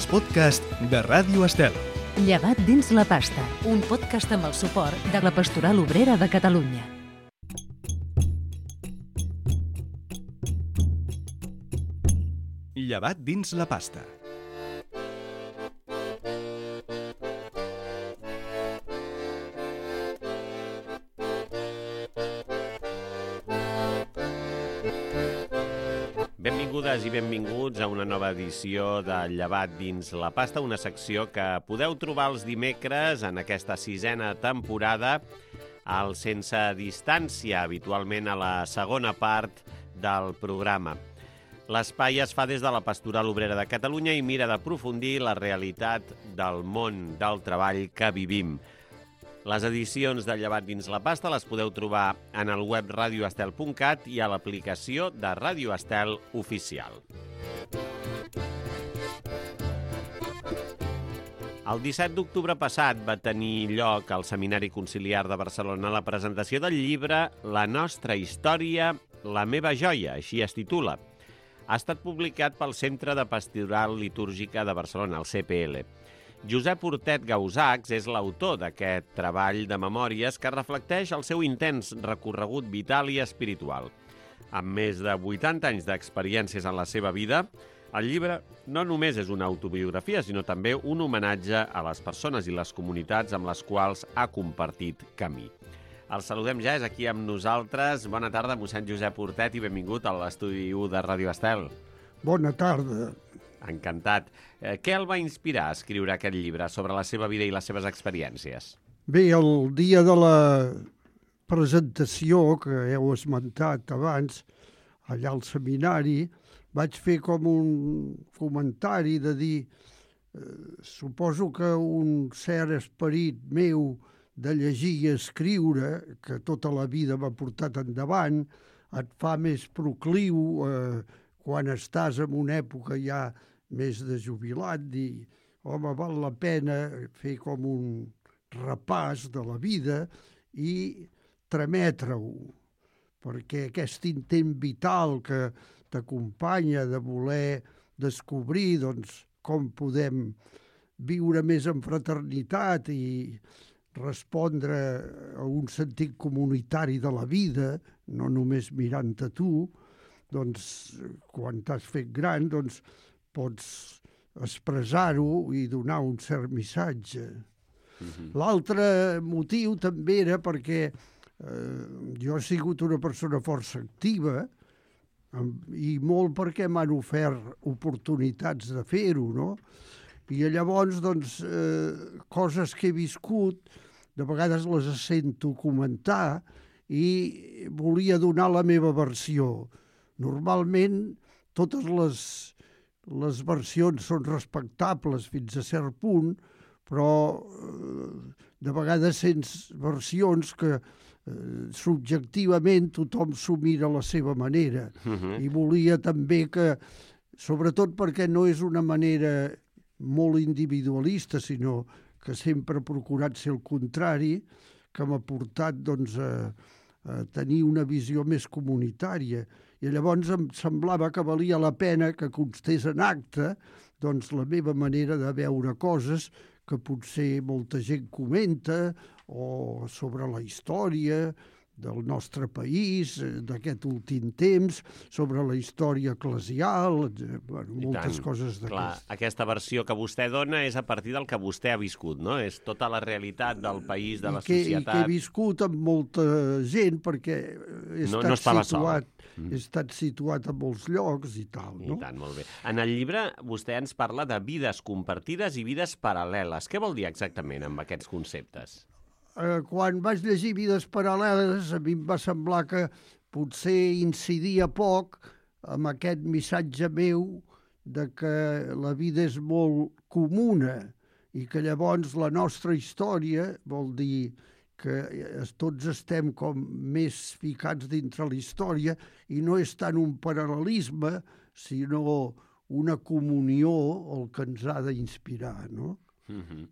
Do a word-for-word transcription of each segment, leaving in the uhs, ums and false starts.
els podcasts de Ràdio Estel. Llevat dins la pasta, un podcast amb el suport de la Pastoral Obrera de Catalunya. Llevat dins la pasta. Benvingudes i benvinguts a una nova edició de Llevat dins la pasta, una secció que podeu trobar els dimecres en aquesta sisena temporada al Sense Distància, habitualment a la segona part del programa. L'espai es fa des de la Pastoral Obrera de Catalunya i mira d'aprofundir la realitat del món del treball que vivim. Les edicions de Llevat dins la pasta les podeu trobar en el web radio estel punt cat i a l'aplicació de Ràdio Estel oficial. El disset d'octubre passat va tenir lloc al Seminari Conciliar de Barcelona la presentació del llibre La nostra història, la meva joia, així es titula. Ha estat publicat pel Centre de Pastoral Litúrgica de Barcelona, el C P L. Josep Hortet Gausacs és l'autor d'aquest treball de memòries que reflecteix el seu intens recorregut vital i espiritual. Amb més de vuitanta anys d'experiències en la seva vida, el llibre no només és una autobiografia, sinó també un homenatge a les persones i les comunitats amb les quals ha compartit camí. El saludem ja, és aquí amb nosaltres. Bona tarda, mossèn Josep Hortet, i benvingut a l'estudi u de Ràdio Estel. Bona tarda. Encantat. Eh, què el va inspirar a escriure aquest llibre sobre la seva vida i les seves experiències? Bé, el dia de la presentació que heu esmentat abans, allà al seminari, vaig fer com un comentari de dir eh, suposo que un cert esperit meu de llegir i escriure, que tota la vida m'ha portat endavant, et fa més procliu eh, quan estàs en una època ja més de jubilat, dir, home, val la pena fer com un repàs de la vida i trametre-ho, perquè aquest intent vital que t'acompanya de voler descobrir doncs, com podem viure més en fraternitat i respondre a un sentit comunitari de la vida, no només mirant a tu, doncs, quan t'has fet gran, doncs, pots expressar-ho i donar un cert missatge. Mm-hmm. L'altre motiu també era perquè eh, jo he sigut una persona força activa i molt perquè m'han ofert oportunitats de fer-ho, no? I llavors, doncs, eh, coses que he viscut, de vegades les sento comentar i volia donar la meva versió. Normalment, totes les les versions són respectables fins a cert punt, però eh, de vegades sents versions que eh, subjectivament tothom s'ho mira a la seva manera. Uh-huh. I volia també que, sobretot perquè no és una manera molt individualista, sinó que sempre he procurat ser el contrari, que m'ha portat doncs, a, a tenir una visió més comunitària. I llavors em semblava que valia la pena que constés en acte doncs, la meva manera de veure coses que potser molta gent comenta o sobre la història del nostre país, d'aquest últim temps, sobre la història eclesial, bueno, moltes tant, coses d'aquestes. Clar, aquesta versió que vostè dona és a partir del que vostè ha viscut, no? És tota la realitat del país, de la I que, societat. I que he viscut amb molta gent, perquè he estat, no, no situat, mm. he estat situat a molts llocs i tal. No? I tant, molt bé. En el llibre vostè ens parla de vides compartides i vides paral·leles. Què vol dir exactament amb aquests conceptes? Eh, quan vaig llegir Vides paral·leles, a mi em va semblar que potser incidia poc amb aquest missatge meu de que la vida és molt comuna i que llavors la nostra història vol dir que tots estem com més ficats dintre la història i no és tant un paral·lelisme, sinó una comunió el que ens ha d'inspirar, no? Mm-hmm.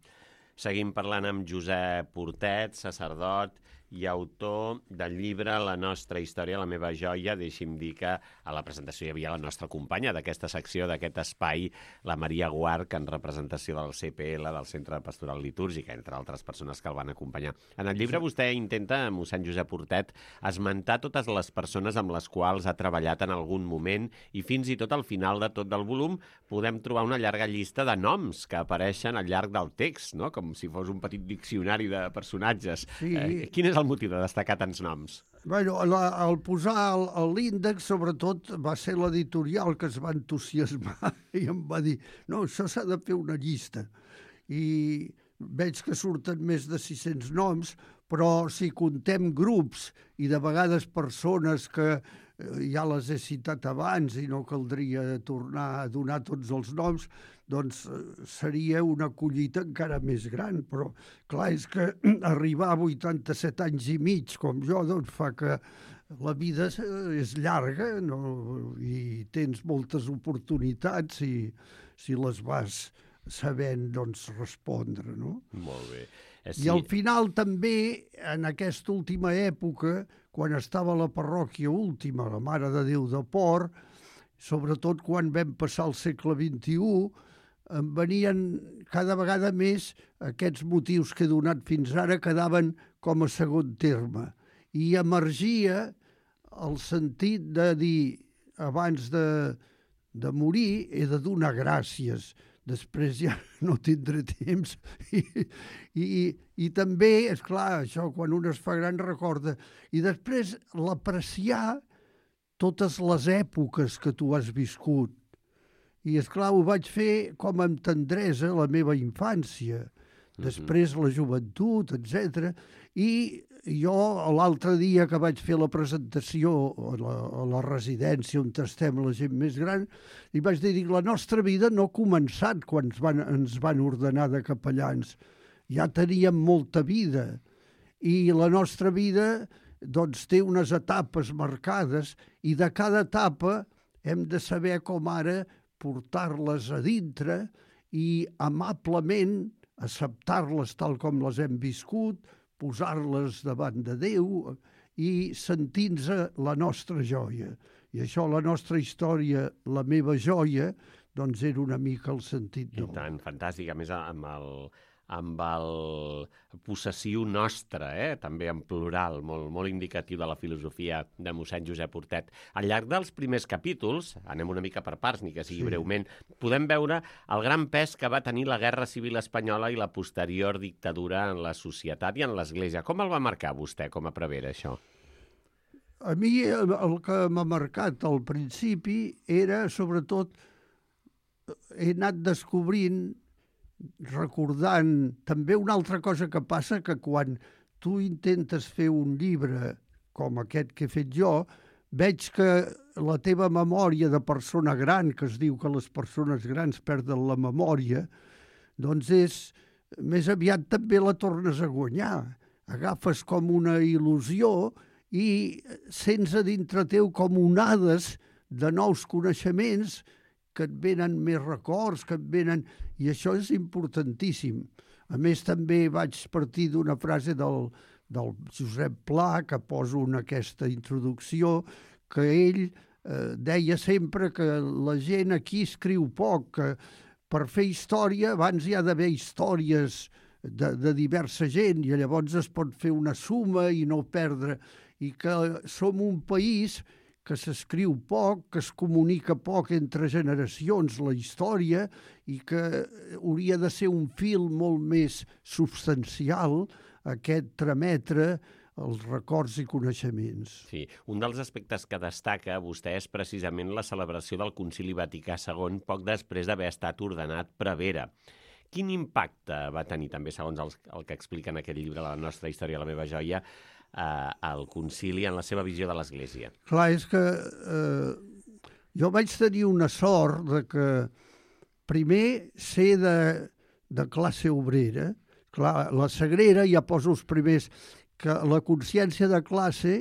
Seguim parlant amb Josep Hortet, sacerdot i autor del llibre La nostra història, la meva joia. Deixi'm dir que a la presentació hi havia la nostra companya d'aquesta secció, d'aquest espai, la Maria Guarch, en representació del C P L, del Centre Pastoral Litúrgica, entre altres persones que el van acompanyar. En el llibre vostè intenta, mossèn Josep Hortet, esmentar totes les persones amb les quals ha treballat en algun moment i fins i tot al final de tot del volum podem trobar una llarga llista de noms que apareixen al llarg del text, no? Com si fos un petit diccionari de personatges. Sí. Eh, quin és el motiu de destacar tants noms? Bueno, la, el posar el- el- l'índex, sobretot, va ser l'editorial que es va entusiasmar i em va dir, no, això s'ha de fer una llista. I veig que surten més de sis-cents noms, però si contem grups i de vegades persones que eh, ja les he citat abans i no caldria tornar a donar tots els noms, doncs eh, seria una collita encara més gran, però clar, és que arribar a vuitanta-set anys i mig com jo, doncs fa que la vida és- és llarga, no? I tens moltes oportunitats i si les vas sabent, doncs, respondre, no? Molt bé. Eh, I al final també, en aquesta última època, quan estava a la parròquia última, la Mare de Déu de Port, sobretot quan vam passar al segle vint-i-u, em venien cada vegada més aquests motius que he donat fins ara quedaven com a segon terme. I emergia el sentit de dir, abans de, de morir, he de donar gràcies. Després ja no tindré temps. I, i, i també, és clar, això quan un es fa gran recorda. I després l'apreciar totes les èpoques que tu has viscut. I, és clar, ho vaig fer com amb tendresa la meva infància, després la joventut, etcètera. I jo, l'altre dia que vaig fer la presentació a la, a la residència on estem la gent més gran, i vaig dir, dic, la nostra vida no ha començat quan ens van, ens van ordenar de capellans. Ja teníem molta vida. I la nostra vida doncs, té unes etapes marcades i de cada etapa hem de saber com ara portar-les a dintre i amablement acceptar-les tal com les hem viscut, posar-les davant de Déu i sentir-nos la nostra joia. I això, la nostra història, la meva joia, doncs era una mica el sentit I nou. tant, fantàstic. A més, amb el, amb el possessiu nostre, eh? També en plural, molt, molt indicatiu de la filosofia de mossèn Josep Hortet. Al llarg dels primers capítols, anem una mica per parts, ni que sigui Sí. breument, podem veure el gran pes que va tenir la Guerra Civil Espanyola i la posterior dictadura en la societat i en l'Església. Com el va marcar vostè com a prevere, això? A mi el el que m'ha marcat al principi era, sobretot, he anat descobrint, recordant, també una altra cosa que passa, que quan tu intentes fer un llibre com aquest que he fet jo, veig que la teva memòria de persona gran, que es diu que les persones grans perden la memòria, doncs és, més aviat també la tornes a guanyar. Agafes com una il·lusió i sents a dintre teu com onades de nous coneixements que et venen més records, que et venen... I això és importantíssim. A més, també vaig partir d'una frase del, del Josep Pla, que poso en aquesta introducció, que ell eh, deia sempre que la gent aquí escriu poc, que per fer història abans hi ha d'haver històries de, de diversa gent i llavors es pot fer una suma i no perdre. I que som un país que s'escriu poc, que es comunica poc entre generacions, la història, i que hauria de ser un fil molt més substancial, aquest trametre els records i coneixements. Sí, un dels aspectes que destaca vostè és precisament la celebració del Concili Vaticà segon poc després d'haver estat ordenat prevere. Quin impacte va tenir també, segons el, el que explica en aquest llibre, La nostra història, la meva joia, eh, el concili en la seva visió de l'Església? Clar, és que eh, jo vaig tenir una sort de que primer ser de, de classe obrera. Clar, la Sagrera ja poso els primers, que la consciència de classe,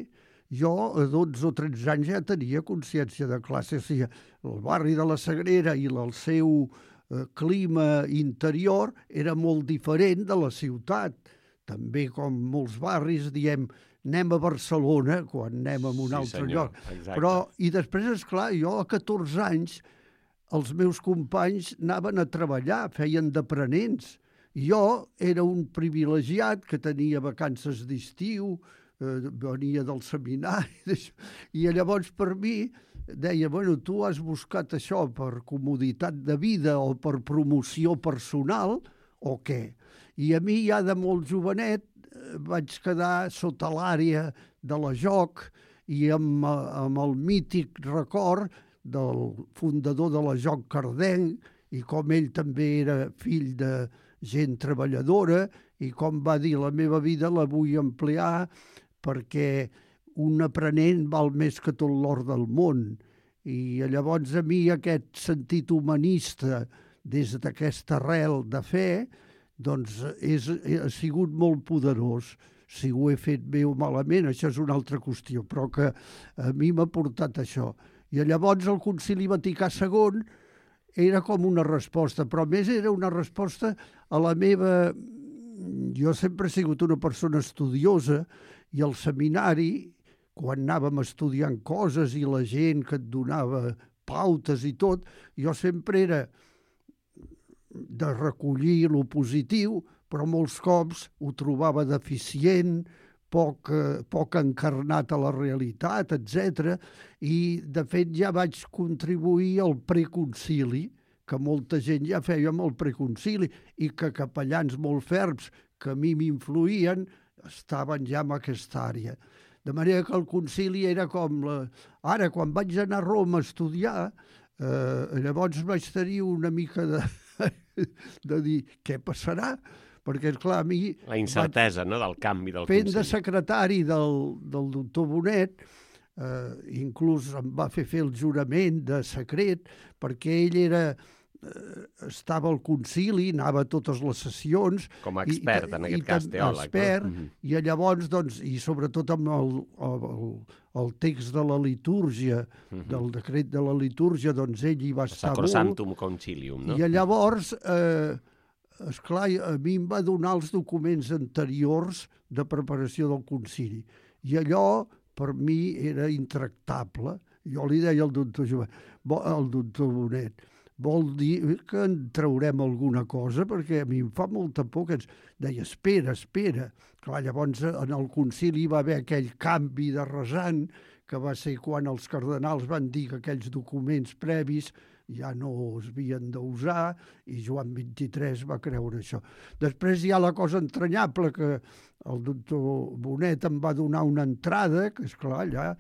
jo a dotze o tretze anys ja tenia consciència de classe. O sigui, el barri de la Sagrera i el seu eh, clima interior era molt diferent de la ciutat. també com molts barris, diem anem a Barcelona quan anem a un Sí, altre senyor, lloc. exacte. Però, i després, esclar, jo a catorze anys els meus companys anaven a treballar, feien d'aprenents. Jo era un privilegiat que tenia vacances d'estiu, eh, venia del seminari, d'això. I llavors per mi deia, bueno, tu has buscat això per comoditat de vida o per promoció personal o què? I a mi ja de molt jovenet eh, vaig quedar sota l'àrea de la joc i amb, eh, amb el mític record del fundador de la Joc Cardenc i com ell també era fill de gent treballadora i com va dir la meva vida la vull ampliar perquè un aprenent val més que tot l'or del món. I llavors a mi aquest sentit humanista des d'aquesta arrel de fe doncs és, ha sigut molt poderós. Si ho he fet bé o malament, això és una altra qüestió, però que a mi m'ha portat això. I llavors el Concili Vaticà segon era com una resposta, però a més era una resposta a la meva... Jo sempre he sigut una persona estudiosa i al seminari, quan anàvem estudiant coses i la gent que et donava pautes i tot, jo sempre era de recollir lo positiu, però molts cops ho trobava deficient, poc, poc encarnat a la realitat, etcètera. I, de fet, ja vaig contribuir al preconcili, que molta gent ja feia amb el preconcili, i que capellans molt ferms que a mi m'influïen estaven ja en aquesta àrea. De manera que el concili era com... La... Ara, quan vaig anar a Roma a estudiar, eh, llavors vaig tenir una mica de, de dir què passarà, perquè, esclar, a mi... La incertesa, vaig... no?, del canvi del Fent concili. de secretari del, del doctor Bonet, eh, inclús em va fer fer el jurament de secret, perquè ell era... estava al concili, anava a totes les sessions. Com a expert, i, en aquest i, cas, teòleg. Expert, no? Mm-hmm. I llavors, doncs, i sobretot amb el, el, el text de la litúrgia, mm-hmm. del decret de la litúrgia, doncs ell hi va estar molt. Sacrosanctum Concilium, no? I llavors, eh, esclar, a mi em va donar els documents anteriors de preparació del concili. I allò, per mi, era intractable. Jo li deia al doctor Joan, al doctor Bonet, vol dir que en traurem alguna cosa, perquè a mi em fa molta por que ens deia, espera, espera. Clar, llavors en el concili va haver aquell canvi de rasant, que va ser quan els cardenals van dir que aquells documents previs ja no es havien d'usar, i Joan vint-i-tres va creure això. Després hi ha la cosa entranyable que el doctor Bonet em va donar una entrada, que esclar, allà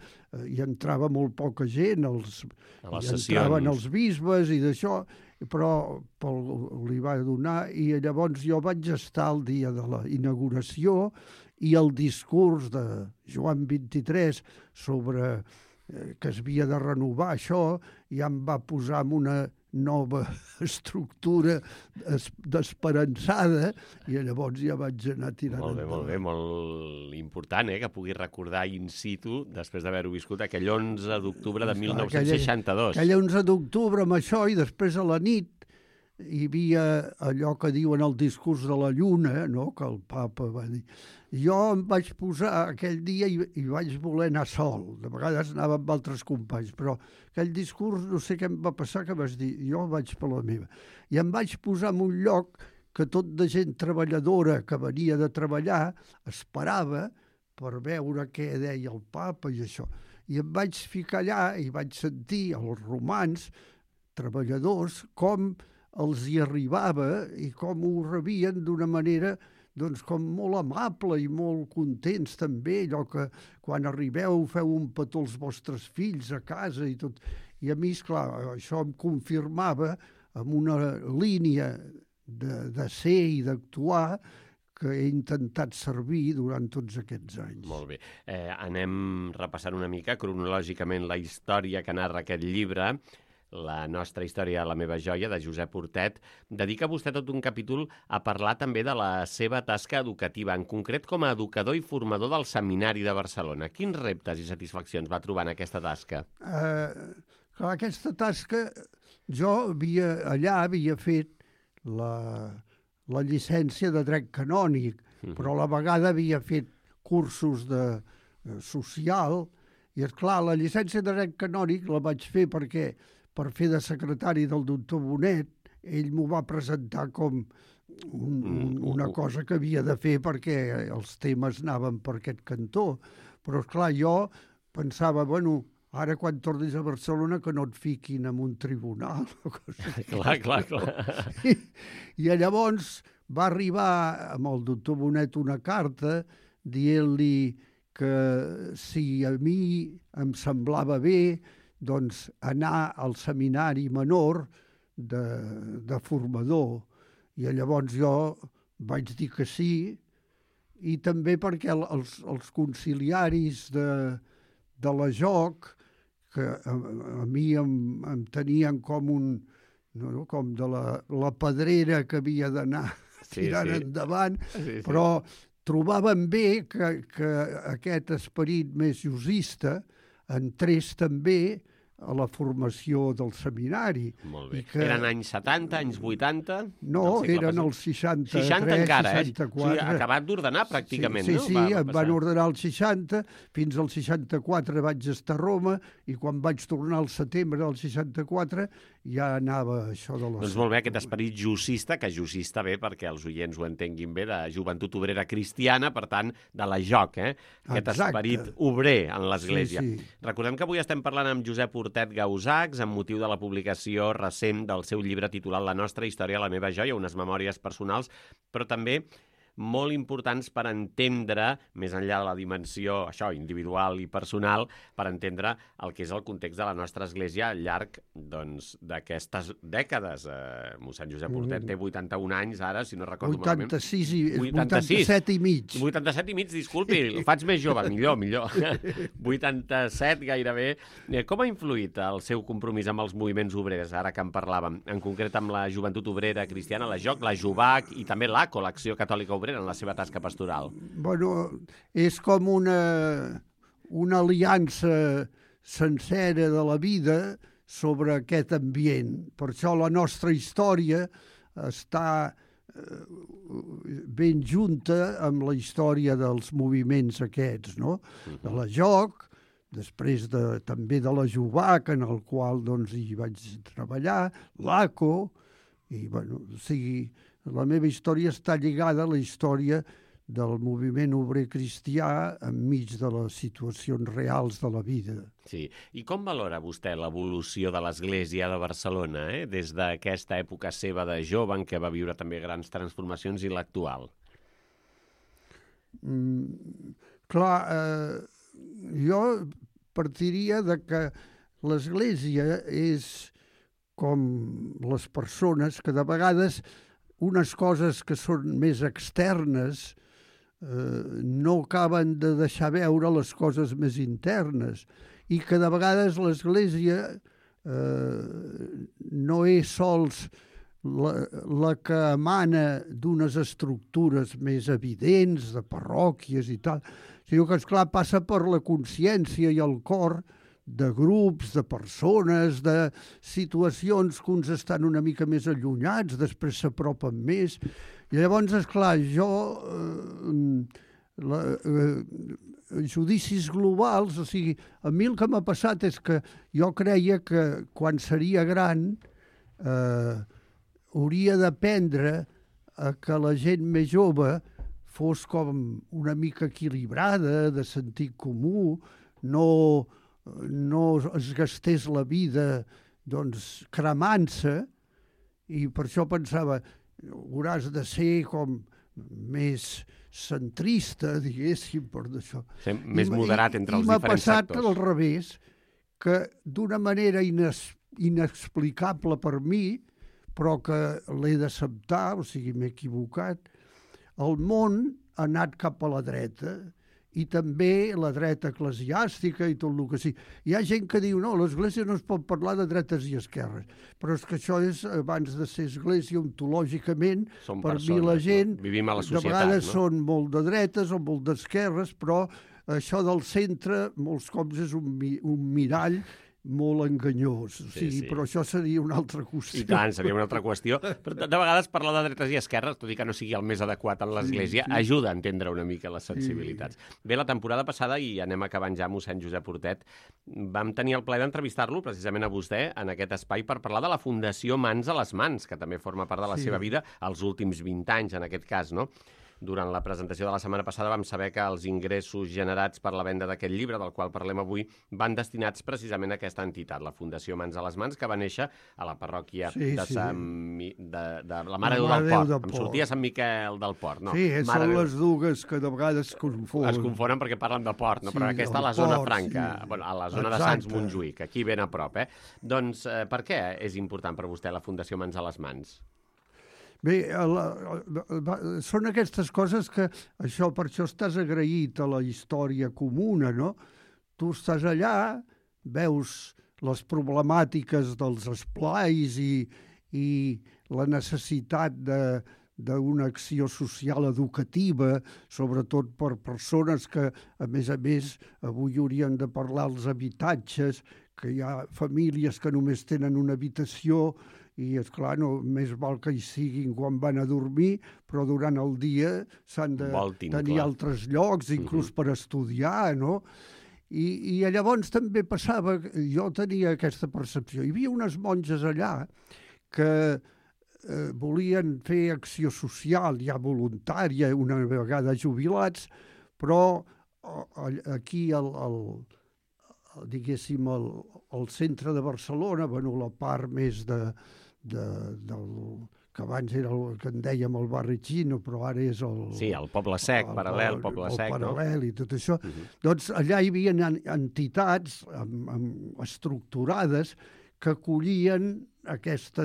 hi entrava molt poca gent, els, hi entraven els bisbes i d'això, però pel, li va donar, i llavors jo vaig estar el dia de la inauguració i el discurs de Joan vint-i-tres sobre que es havia de renovar això, ja em va posar en una nova estructura d'esperançada, i llavors ja vaig anar tirant molt bé, endavant. Molt bé, molt important, eh, que pugui recordar in situ, després d'haver-ho viscut, aquell onze d'octubre de mil nou-cents seixanta-dos. Aquell onze d'octubre amb això, i després a la nit hi havia allò que diuen el discurs de la lluna, no?, que el papa va dir. Jo em vaig posar aquell dia i, i vaig voler anar sol. De vegades anava amb altres companys, però aquell discurs no sé què em va passar, que vas dir, jo vaig per la meva. I em vaig posar en un lloc que tot de gent treballadora que venia de treballar esperava per veure què deia el papa i això. I em vaig ficar allà i vaig sentir els romans treballadors com els hi arribava i com ho rebien d'una manera doncs com molt amable i molt contents també, allò que quan arribeu feu un petó als vostres fills a casa i tot. I a mi, esclar, això em confirmava amb una línia de, de ser i d'actuar que he intentat servir durant tots aquests anys. Molt bé. Eh, anem repassant una mica cronològicament la història que narra aquest llibre, La nostra història, la meva joia, de Josep Hortet. Dedica vostè tot un capítol a parlar també de la seva tasca educativa, en concret com a educador i formador del Seminari de Barcelona. Quins reptes i satisfaccions va trobar en aquesta tasca? Eh, clar, aquesta tasca, jo havia, allà havia fet la, la llicència de dret canònic, però a la vegada havia fet cursos de eh, social, i és clar, la llicència de dret canònic la vaig fer perquè, per fer de secretari del doctor Bonet, ell m'ho va presentar com un, un, una cosa que havia de fer perquè els temes anaven per aquest cantó. Però, esclar, jo pensava, bueno, ara quan tornis a Barcelona que no et fiquin en un tribunal. O cosa clar, clar, clar. I, I llavors va arribar amb el doctor Bonet una carta dient-li que si a mi em semblava bé, doncs anar al seminari menor de, de formador. I llavors jo vaig dir que sí, i també perquè els, els conciliaris de, de la Joc, que a, a mi em, em tenien com un, no, com de la, la pedrera que havia d'anar sí, tirant sí. endavant, sí, sí. però trobaven bé que, que aquest esperit més jusista entrés també a la formació del seminari. Molt bé. Que... Eren anys setanta, anys vuitanta? No, eren els seixanta-tres, seixanta encara, seixanta-quatre. Eh? O sigui, acabat d'ordenar pràcticament, sí, no? Sí, sí, va, va em van ordenar el seixanta, fins al seixanta-quatre vaig estar a Roma, i quan vaig tornar al setembre del seixanta-quatre ja anava això de la... Doncs molt bé, aquest esperit justista, que justista bé perquè els oients ho entenguin bé, de joventut obrera cristiana, per tant, de la Joc, eh? Aquest Exacte. Esperit obrer en l'Església. Sí, sí. Recordem que avui estem parlant amb Josep Hortet Gausacs amb motiu de la publicació recent del seu llibre titulat La nostra història, la meva joia, unes memòries personals, però també molt importants per entendre, més enllà de la dimensió això individual i personal, per entendre el que és el context de la nostra església al llarg doncs, d'aquestes dècades. Eh, mossèn Josep Hortet té vuitanta-un anys ara, si no recordo vuitanta-sis i, malament. vuitanta-set i mig. vuitanta-set i mig, disculpi, el faig més jove, millor, millor. vuitanta-set gairebé. Eh, com ha influït el seu compromís amb els moviments obrers, ara que en parlàvem, en concret amb la joventut obrera cristiana, la Joc, la Jubac i també l'A C O, l'Acció Catòlica Obrera, en la seva tasca pastoral? Bueno, és com una, una aliança sencera de la vida sobre aquest ambient. Per això la nostra història està eh, ben junta amb la història dels moviments aquests, no? De la Joc, després de, també de la Jubac, en el qual doncs, hi vaig treballar, l'A C O, i, bueno, o sigui, la meva història està lligada a la història del moviment obrer cristià enmig de les situacions reals de la vida. Sí. I com valora vostè l'evolució de l'Església de Barcelona, eh? Des d'aquesta època seva de jove, en què va viure també grans transformacions, i l'actual? Mm, clar, eh, jo partiria de que l'Església és com les persones que de vegades unes coses que són més externes eh, no acaben de deixar veure les coses més internes, i que de vegades l'Església eh, no és sols la, la que emana d'unes estructures més evidents, de parròquies i tal, sinó que, esclar, passa per la consciència i el cor de grups, de persones, de situacions que uns estan una mica més allunyats, després s'apropen més. I llavors, esclar, jo... Eh, la, eh, judicis globals, o sigui, a mi el que m'ha passat és que jo creia que quan seria gran eh, hauria d'aprendre a que la gent més jove fos com una mica equilibrada, de sentit comú, no... no es gastés la vida doncs, cremant-se, i per això pensava, hauràs de ser com més centrista, diguéssim, per d'això. Sí, més moderat entre I, els i diferents m'ha sectors. passat al revés, que d'una manera ines, inexplicable per mi, però que l'he d'acceptar, o sigui, m'he equivocat, el món ha anat cap a la dreta, i també la dreta eclesiàstica i tot el que sí. Hi ha gent que diu, no, l'Església no es pot parlar de dretes i esquerres, però és que això és, abans de ser Església, ontològicament, Som per persones, mi la gent, no? Vivim a la societat, de vegades no? són molt de dretes o molt d'esquerres, però això del centre molts cops és un, mi un mirall molt enganyós. O Sí, sigui, sí. però això seria una altra qüestió. I tant, seria una altra qüestió. Però de vegades parlar de dretes i esquerres, tot i que no sigui el més adequat en l'Església, Sí, sí. ajuda a entendre una mica les sensibilitats. Bé, la temporada passada, i anem acabant ja, mossèn Josep Hortet, vam tenir el plaer d'entrevistar-lo precisament a vostè en aquest espai per parlar de la Fundació Mans a les Mans, que també forma part de la Sí. seva vida els últims vint anys, en aquest cas, no? Durant la presentació de la setmana passada vam saber que els ingressos generats per la venda d'aquest llibre, del qual parlem avui, van destinats precisament a aquesta entitat, la Fundació Mans a les Mans, que va néixer a la parròquia Sí, de, sí. Sant Mi... de, de la Mare de Déu Mare del Déu Port. del Em Port. sortia Sant Miquel del Port. No, Sí, Mare són de Déu. les dues que de vegades es confonen. Es confonen perquè parlen de port, no? Sí, Però aquesta a la del zona port, franca, sí. bueno, a la zona de Exacte. Sants Montjuïc, aquí ben a prop, eh? Doncs eh, per què és important per vostè la Fundació Mans a les Mans? Bé, la, la, són aquestes coses que, això per això estàs agraït a la història comuna, no? Tu estàs allà, veus les problemàtiques dels esplais i, i la necessitat de d'una acció social educativa, sobretot per persones que, a més a més, avui haurien de parlar els habitatges, que hi ha famílies que només tenen una habitació i, esclar, no, més val que hi siguin quan van a dormir, però durant el dia s'han de Voltin, tenir clar. altres llocs, inclús per estudiar, no? I, I llavors també passava, jo tenia aquesta percepció. Hi havia unes monges allà que eh, volien fer acció social, ja voluntària, una vegada jubilats, però eh, aquí al, al, diguéssim, al, al centre de Barcelona, bueno, la part més de, de, del, que abans era el que en dèiem el barri xino, però ara és el... Sí, el Poble Sec, el, paral·lel, Poble el Sec, no? paral·lel i tot això. Uh -huh. Doncs allà hi havia entitats amb, amb estructurades que acollien aquesta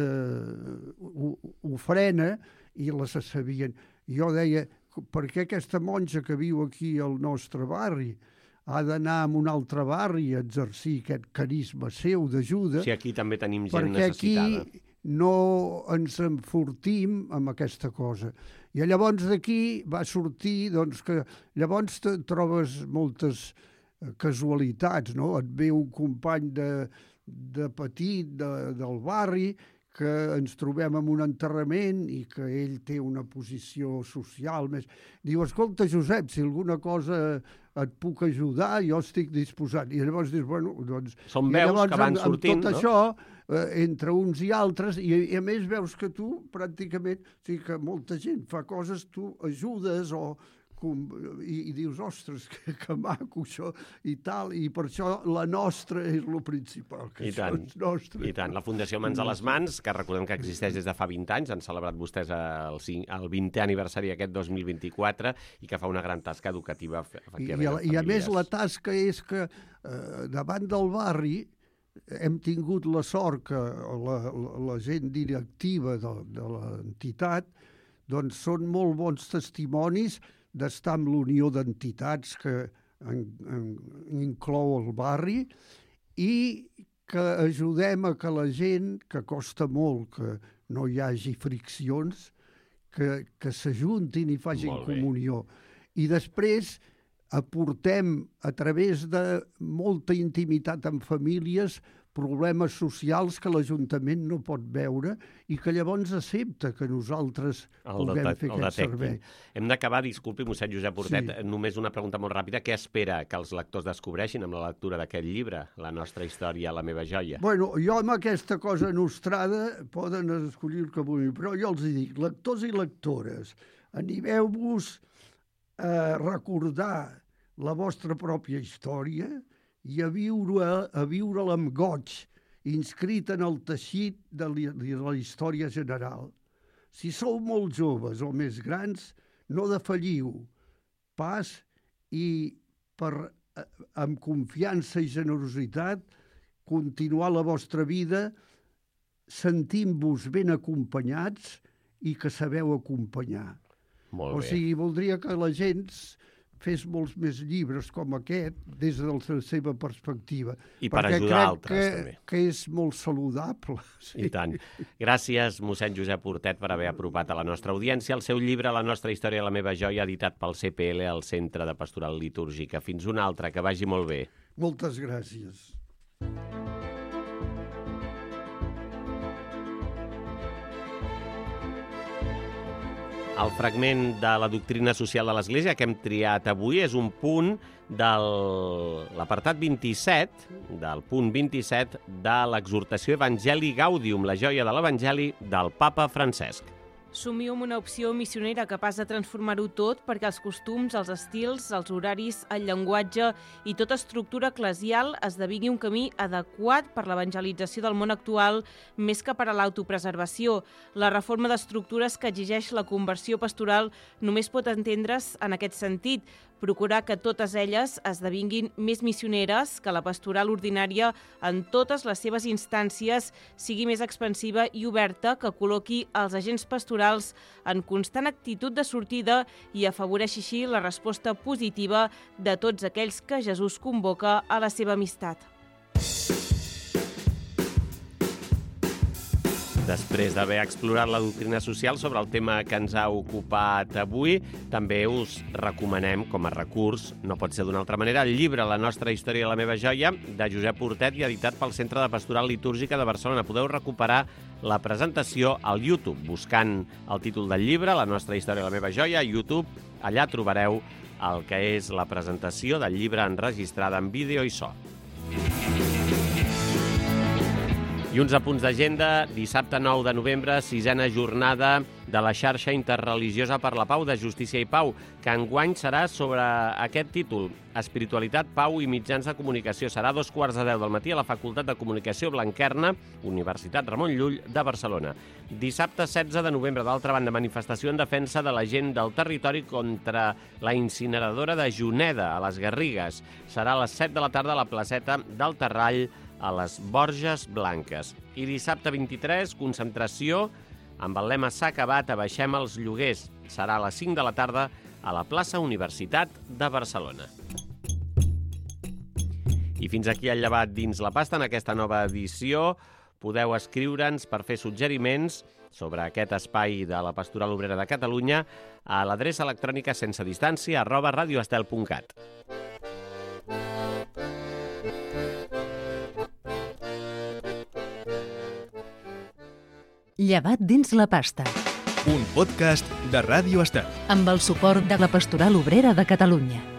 ofrena i les sabien. Jo deia, per què aquesta monja que viu aquí al nostre barri ha d'anar a un altre barri a exercir aquest carisma seu d'ajuda? Sí, aquí també tenim gent Perquè necessitada. aquí no ens enfortim amb aquesta cosa. I llavors d'aquí va sortir doncs, que llavors te trobes moltes casualitats, no? Et ve un company de, de petit de, del barri que ens trobem en un enterrament i que ell té una posició social més... Diu, escolta, Josep, si alguna cosa et puc ajudar, jo estic disposat. I llavors dius, bueno, doncs... Són I veus llavors, que van amb, sortint, amb tot no? això, eh, entre uns i altres, i, i a més veus que tu pràcticament, o sigui que molta gent fa coses, tu ajudes o... Com, i, i dius, ostres, que, que maco això i tal, i per això la nostra és el principal, que I això tant, és nostre. I tant. La Fundació Mans a les Mans, que recordem que existeix des de fa vint anys, han celebrat vostès el, el vintè aniversari aquest dos mil vint-i-quatre i que fa una gran tasca educativa, I, efectivament, i, a, I a més la famílies. tasca és que eh, davant del barri hem tingut la sort que la, la, la gent directiva de, de l'entitat doncs són molt bons testimonis d'estar amb l'unió d'entitats que en, en, inclou el barri i que ajudem a que la gent, que costa molt que no hi hagi friccions, que, que s'ajuntin i facin Molt bé. comunió. I després aportem a través de molta intimitat amb famílies problemes socials que l'Ajuntament no pot veure i que llavors accepta que nosaltres El puguem detec- fer el aquest detectin. servei. Hem d'acabar, disculpi, mossèn Josep Hortet, Sí. només una pregunta molt ràpida. Què espera que els lectors descobreixin amb la lectura d'aquest llibre, La nostra història, la meva joia? Bueno, jo amb aquesta cosa nostrada poden escollir el que vulguin, però jo els hi dic, lectors i lectores, animeu-vos a recordar la vostra pròpia història i a viure a viure-la amb goig, inscrit en el teixit de la història general. Si sou molt joves o més grans, no defalliu pas i per, amb confiança i generositat continuar la vostra vida sentint-vos ben acompanyats i que sabeu acompanyar. Molt O bé. sigui, voldria que la gent fes molts més llibres com aquest des de la seva perspectiva. I per perquè ajudar crec altres, que, també. que és molt saludable. Sí. I tant. Gràcies, mossèn Josep Hortet, per haver apropat a la nostra audiència el seu llibre La nostra història, la meva joia, editat pel C P L al Centre de Pastoral Litúrgica. Fins una altra, que vagi molt bé. Moltes gràcies. El fragment de la doctrina social de l'Església que hem triat avui és un punt de l'apartat vint-i-set, del punt vint-i-set de l'exhortació Evangelii Gaudium, la joia de l'Evangeli del papa Francesc. Somio amb una opció missionera capaç de transformar-ho tot perquè els costums, els estils, els horaris, el llenguatge i tota estructura eclesial esdevingui un camí adequat per l'evangelització del món actual més que per a l'autopreservació. La reforma d'estructures que exigeix la conversió pastoral només pot entendre's en aquest sentit, procurar que totes elles esdevinguin més missioneres, que la pastoral ordinària en totes les seves instàncies sigui més expansiva i oberta, que col·loqui els agents pastorals en constant actitud de sortida i afavoreixi així la resposta positiva de tots aquells que Jesús convoca a la seva amistat. Després d'haver explorat la doctrina social sobre el tema que ens ha ocupat avui, també us recomanem, com a recurs, no pot ser d'una altra manera, el llibre La nostra història i la meva joia, de Josep Portet i editat pel Centre de Pastoral Litúrgica de Barcelona. Podeu recuperar la presentació al YouTube, buscant el títol del llibre, La nostra història i la meva joia, a YouTube. Allà trobareu el que és la presentació del llibre enregistrada en vídeo i so. I uns apunts d'agenda, dissabte nou de novembre, sisena jornada de la xarxa interreligiosa per la pau de Justícia i Pau, que enguany serà sobre aquest títol, Espiritualitat, Pau i Mitjans de Comunicació. Serà a dos quarts de deu del matí a la Facultat de Comunicació Blanquerna, Universitat Ramon Llull de Barcelona. Dissabte setze de novembre, d'altra banda, manifestació en defensa de la gent del territori contra la incineradora de Juneda, a les Garrigues. Serà a les set de la tarda a la placeta del Terrall, a les Borges Blanques. I dissabte vint-i-tres, concentració amb el lema S'ha acabat, abaixem els lloguers. Serà a les cinc de la tarda a la plaça Universitat de Barcelona. I fins aquí el llevat dins la pasta en aquesta nova edició. Podeu escriure'ns per fer suggeriments sobre aquest espai de la Pastoral Obrera de Catalunya a l'adreça electrònica sense distància arroba radioestel punt cat. Llevat dins la pasta, Un podcast de Ràdio Estel. amb el suport de la Pastoral Obrera de Catalunya.